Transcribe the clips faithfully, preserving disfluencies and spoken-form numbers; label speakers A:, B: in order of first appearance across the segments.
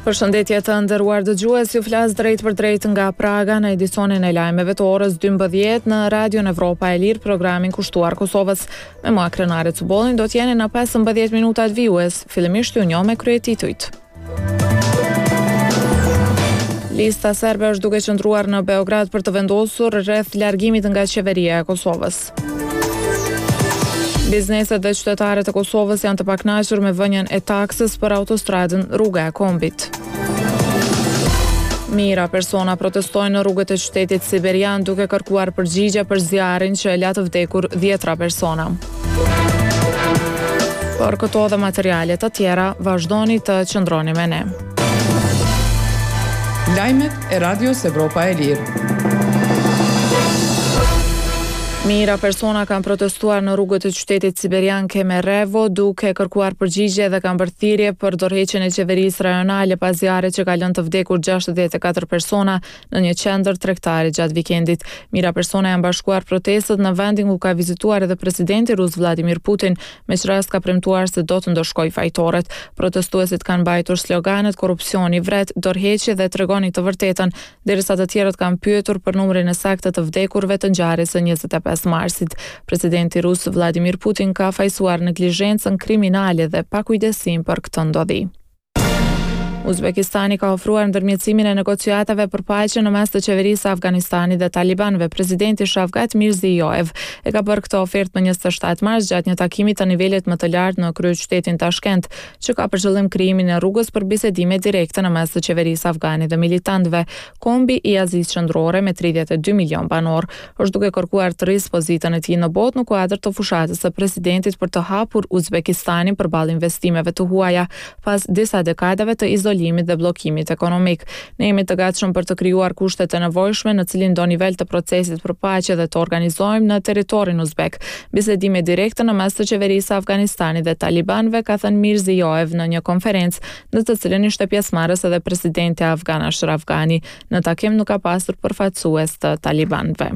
A: Përshëndetje të nderuar dëgjues, ju flas drejtpërdrejt nga Praga në edicionin e lajmeve të orës dymbëdhjetë në Radion Evropa e Lirë, programin kushtuar Kosovës. Me mua Krenare Cubollin do t'jeni në pesëmbëdhjetë minutat vijues, fillimisht ju njoh me kryetitujt. Lista serbe është duke qëndruar në Beograd për të vendosur rreth largimit nga qeveria e Kosovës. Bizneset dhe qytetarët e Kosovës janë të pakënaqur me vënien e taksës për autostradën Rruga e Kombit. Mijëra persona protestojnë në rrugët e qytetit siberian duke kërkuar përgjigje për zjarrin që e la të vdekur dhjetra persona. Për këto dhe materiale të tjera, vazhdoni të qëndroni me ne.
B: Lajmet e Radios Evropa e Lirë.
A: Mijëra persona kanë protestuar në rrugët e qytetit siberian Kemerovo duke kërkuar përgjigje dhe kanë bërë thirrje për dorëheqjen e qeverisë rajonale pas zjarrit që ka lënë të vdekur gjashtëdhjetë e katër persona në një qendër tregtare gjatë vikendit. Mijëra persona janë bashkuar protestët në vendin ku ka vizituar edhe presidenti rus Vladimir Putin, me ç'rast ka premtuar se do të ndëshkojë fajtorët. Protestuesit kanë mbajtur sloganet korrupsioni vret, dorëheqje dhe tregoni të vërtetën, derisa të tjerët kanë pyetur për numrin e saktë të vdekurve të ngjarjes së njëzet e pesë marsit. Presidenti rus Vladimir Putin ka fajsuar neglizhencën kriminale dhe pakujdesim për këtë ndodhi. Uzbekistani ka ofruar ndërmjetësimin e negociatave për paqe në mes të qeverisë së Afganistanit dhe talibanëve. Presidenti Shavkat Mirziyoyev e ka bërë këtë ofertë më njëzet e shtatë mars gjatë një takimi të nivelit më të lartë në kryeqytetin Tashkent, që ka për qëllim krijimin e rrugës për bisedime direkte në mes të qeverisë afgane dhe militantëve. Kombi i Azisë Qendrore me tridhjetë e dy milion banor është duke kërkuar të rrisë pozitën e tij në botë në kuadër të fushatës së presidentit për të hapur Uzbekistanin përballë investimeve të huaja pas disa dekadave të izolimit dhe bllokimit ekonomik. Ne jemi të gatshëm për të krijuar kushtet e nevojshme në cilin do nivel të procesit për paqe dhe të organizojmë në territorin uzbek bisedime direkte në mes të qeverisë së Afganistanit dhe talibanëve, ka thënë Mirziyoyev në një konferencë në të cilën ishte pjesëmarrës edhe presidenti afgan Ashraf Ghani. Në takim nuk ka pasur përfaqësues të talibanëve.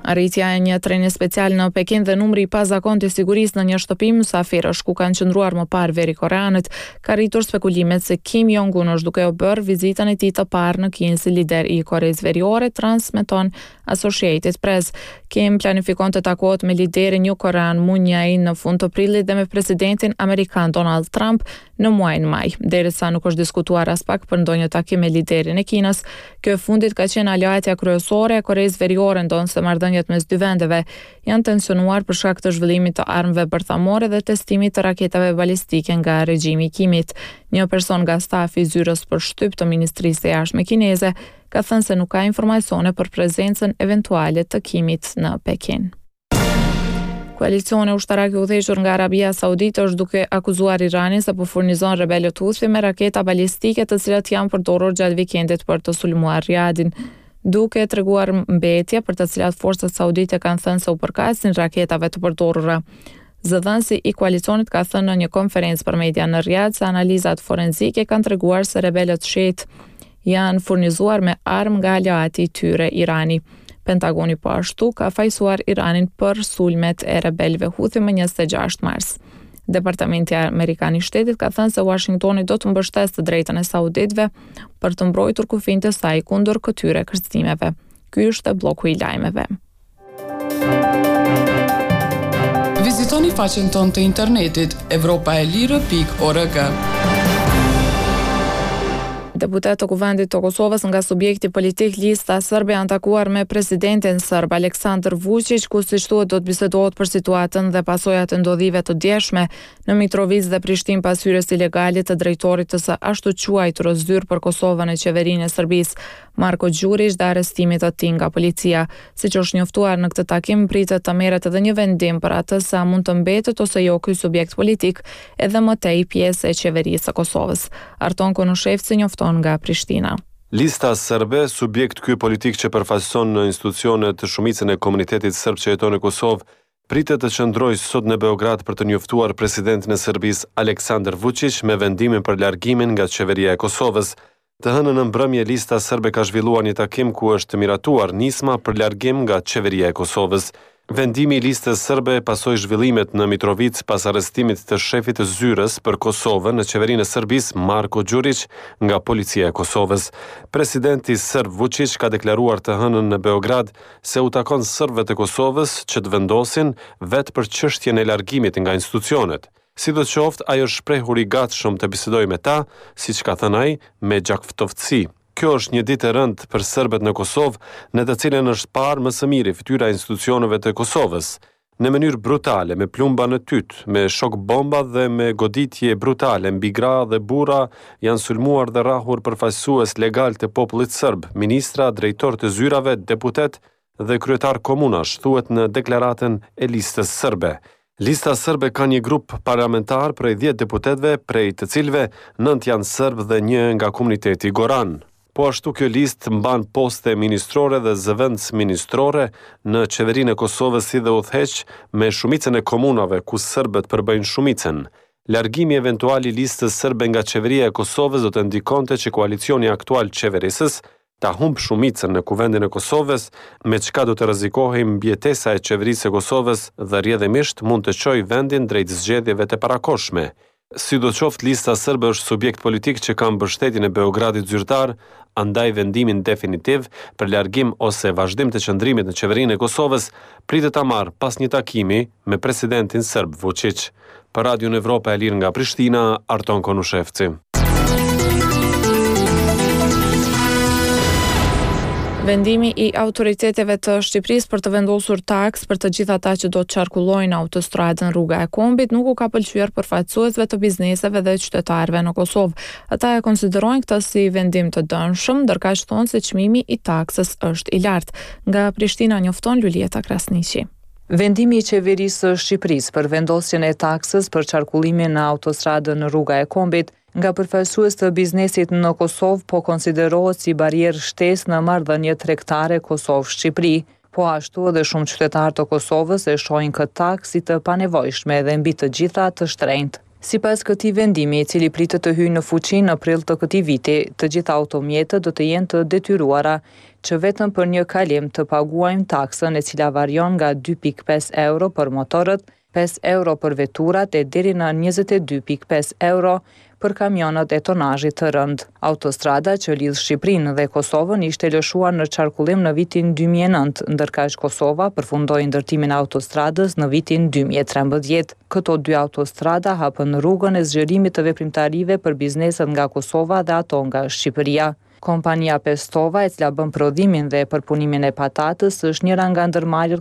A: Arritja e një treni special në Pekin dhe numri i pazakontë i sigurisë në një shtëpi mysafirësh ku kanë qëndruar më parë veri koreanët ka rritur spekulimet se Kim Jong-un është duke u bërë vizitën e tij të parë në Kinë si lider i Koresë Veriore, transmeton Associated Press. Kim planifikon të takohet me liderin jugkorean Moon Jae-in në fund të prillit dhe me presidentin amerikan Donald Trump në muajin maj. Derisa nuk është diskutuar as pak për ndonjë takim me liderin e Kinës, kjo e fundit ka qenë aleatja kryesore e Koresë Veriore, ndonëse marrëdhëniet mes dy vendeve janë tensionuar për shkak të zhvillimit të armëve bërthamore dhe testimit të raketave balistike nga regjimi i Kimit. Një person nga stafi i zyrës për shtyp të Ministrisë së Jashtme kineze ka thënë se nuk ka informacione për prezencën eventuale të Kimit në Pekin. Koalicioni ushtarak i udhëhequr nga Arabia Saudite është duke akuzuar Iranin se po furnizon rebelët Houthi me raketa balistike të cilat janë përdorur gjatë vikendit për të sulmuar Riadin, duke treguar mbetje për të cilat forcat saudite kanë thënë se u përkasin raketave të përdorura. Zëdhënësi i koalicionit ka thënë në një konferencë për media në Riyadh se analizat forenzike kanë treguar se rebelët shiit janë furnizuar me armë nga aleati i tyre Irani. Pentagoni po ashtu ka fajsuar Iranin për sulmet e rebelëve Houthi më njëzet e gjashtë mars. Departamenti Amerikan i Shtetit ka thënë se Washingtoni do të mbështesë të drejtën e sauditëve për të mbrojtur kufinjtë e saj kundër këtyre kërcënimeve. Ky është bloku i lajmeve.
B: Vizitoni faqen tonë të internetit evropa e lirë pikë org.
A: Deputetë të Kuvendit të Kosovës nga subjekti politik Lista Serbe janë takuar me presidentin serb Aleksandar Vučić, ku siç thuhet do të bisedohet për situatën dhe pasojat e ndodhive të djeshme në Mitrovicë dhe Prishtinë pas hyrjes ilegale të drejtorit të së ashtuquajturës zyrë për Kosovën e qeverinë e Serbisë, Marko Gjurić, dhe arrestimit të tij nga policia. Siç është njoftuar në këtë takim, pritet të merret edhe një vendim për atë se a mund të mbetet ose jo ky subjekt politik edhe më tej pjesë e qeverisë së Kosovës. Arton Konushevci njofton nga Prishtina.
C: Lista Serbe, subjekt ky politik që përfaqëson në institucionet të shumicën e komunitetit serb që jeton në Kosovë, pritet të qëndrojë sot në Beograd për të njoftuar presidentin e Serbisë Aleksandar Vučić me vendimin për largimin nga qeveria e Kosovës. Të hënën në mbrëmje Lista Serbe ka zhvilluar një takim ku është miratuar nisma për largim nga qeveria e Kosovës. Vendimi i Listës Serbe pasoi zhvillimet në Mitrovicë pas arrestimit të shefit të zyrës për Kosovën në qeverinë e Serbisë, Marko Gjuriq, nga policia e Kosovës. Presidenti serb Vučić ka deklaruar të hënën në Beograd se u takon serbëve të Kosovës që të vendosin vetë për çështjen e largimit nga institucionet. Sidoqoftë, ai është shprehur i gatshëm të bisedojë me ta, siç ka thënë ai, me gjakftohtësi. Kjo është një ditë e rëndë për serbët në Kosovë, në të cilën është parë më së miri fytyra e institucioneve të Kosovës. Në mënyrë brutale, me plumba në tytë, me shok bomba dhe me goditje brutale mbi gra dhe burra janë sulmuar dhe rrahur përfaqësues legal të popullit serb, ministra, drejtorë të zyrave, deputet dhe kryetar komunash, thuhet në deklaratën e Listës Serbe. Lista Serbe ka një grup parlamentar prej dhjetë deputetëve, prej të cilëve nëntë janë serbë dhe një nga komuniteti Goran. Po ashtu kjo listë mban poste ministrore dhe zëvendësministrore në qeverinë e Kosovës si dhe udhëheq me shumicën e komunave ku serbët përbëjnë shumicën. Largimi eventual i Listës Serbe nga qeveria e Kosovës do të ndikonte që koalicioni aktual qeverisës ta humb shumicën në Kuvendin e Kosovës, me çka do të rrezikohej mbijetesa e qeverisë së Kosovës dhe rrjedhimisht mund të çojë vendin drejt zgjedhjeve të parakohshme. Sidoqoftë, Lista Serbe është subjekt politik që ka mbështetjen e Beogradit zyrtar, andaj vendimin definitiv për largim ose vazhdim të qëndrimit në qeverinë e Kosovës pritet ta marrë pas një takimi me presidentin serb Vučić. Për Radion Evropa e Lirë nga Prishtina, Arton Konushevci.
A: Vendimi i autoriteteve të Shqipërisë për të vendosur taksë për të gjithë ata që do të qarkullojnë autostradën Rruga e Kombit nuk u ka pëlqyer përfaqësuesve të bizneseve dhe qytetarëve në Kosovë. Ata e konsiderojnë këtë si vendim të dëmshëm, ndërkaq thonë se çmimi i taksës është i lartë. Nga Prishtina njofton Luljeta Krasniqi.
D: Vendimi i qeverisë së Shqipërisë për vendosjen e taksës për qarkullimin në autostradën Rruga e Kombit nga përfaqësues të biznesit në Kosovë po konsiderohet si barrierë shtesë në marrëdhëniet tregtare Kosovë-Shqipëri. Po ashtu edhe shumë qytetarë të Kosovës e shohin këtë taksë si të panevojshme dhe mbi të gjitha të shtrenjtë. Sipas këtij vendimi, i cili pritet të hyjë në fuqi në prill të këtij viti, të gjitha automjetet do të jenë të detyruara që vetëm për një kalim të paguajnë taksën e cila varion nga dy pikë pesë euro për motorët, pesë euro për veturat e deri në njëzet e dy pikë pesë euro për kamionët e tonazhit të rëndë. Autostrada që lidh Shqipërinë dhe Kosovën ishte lëshuar në qarkullim në vitin dy mijë e nëntë, ndërkaq Kosova përfundoi ndërtimin e autostradës në vitin dy mijë e trembëdhjetë. Këto dy autostrada hapën rrugën e zgjerimit të veprimtarive për bizneset nga Kosova dhe ato nga Shqipëria. Kompania Pestova, e cila bën prodhimin dhe përpunimin e patatës, është njëra nga ndërmarrjet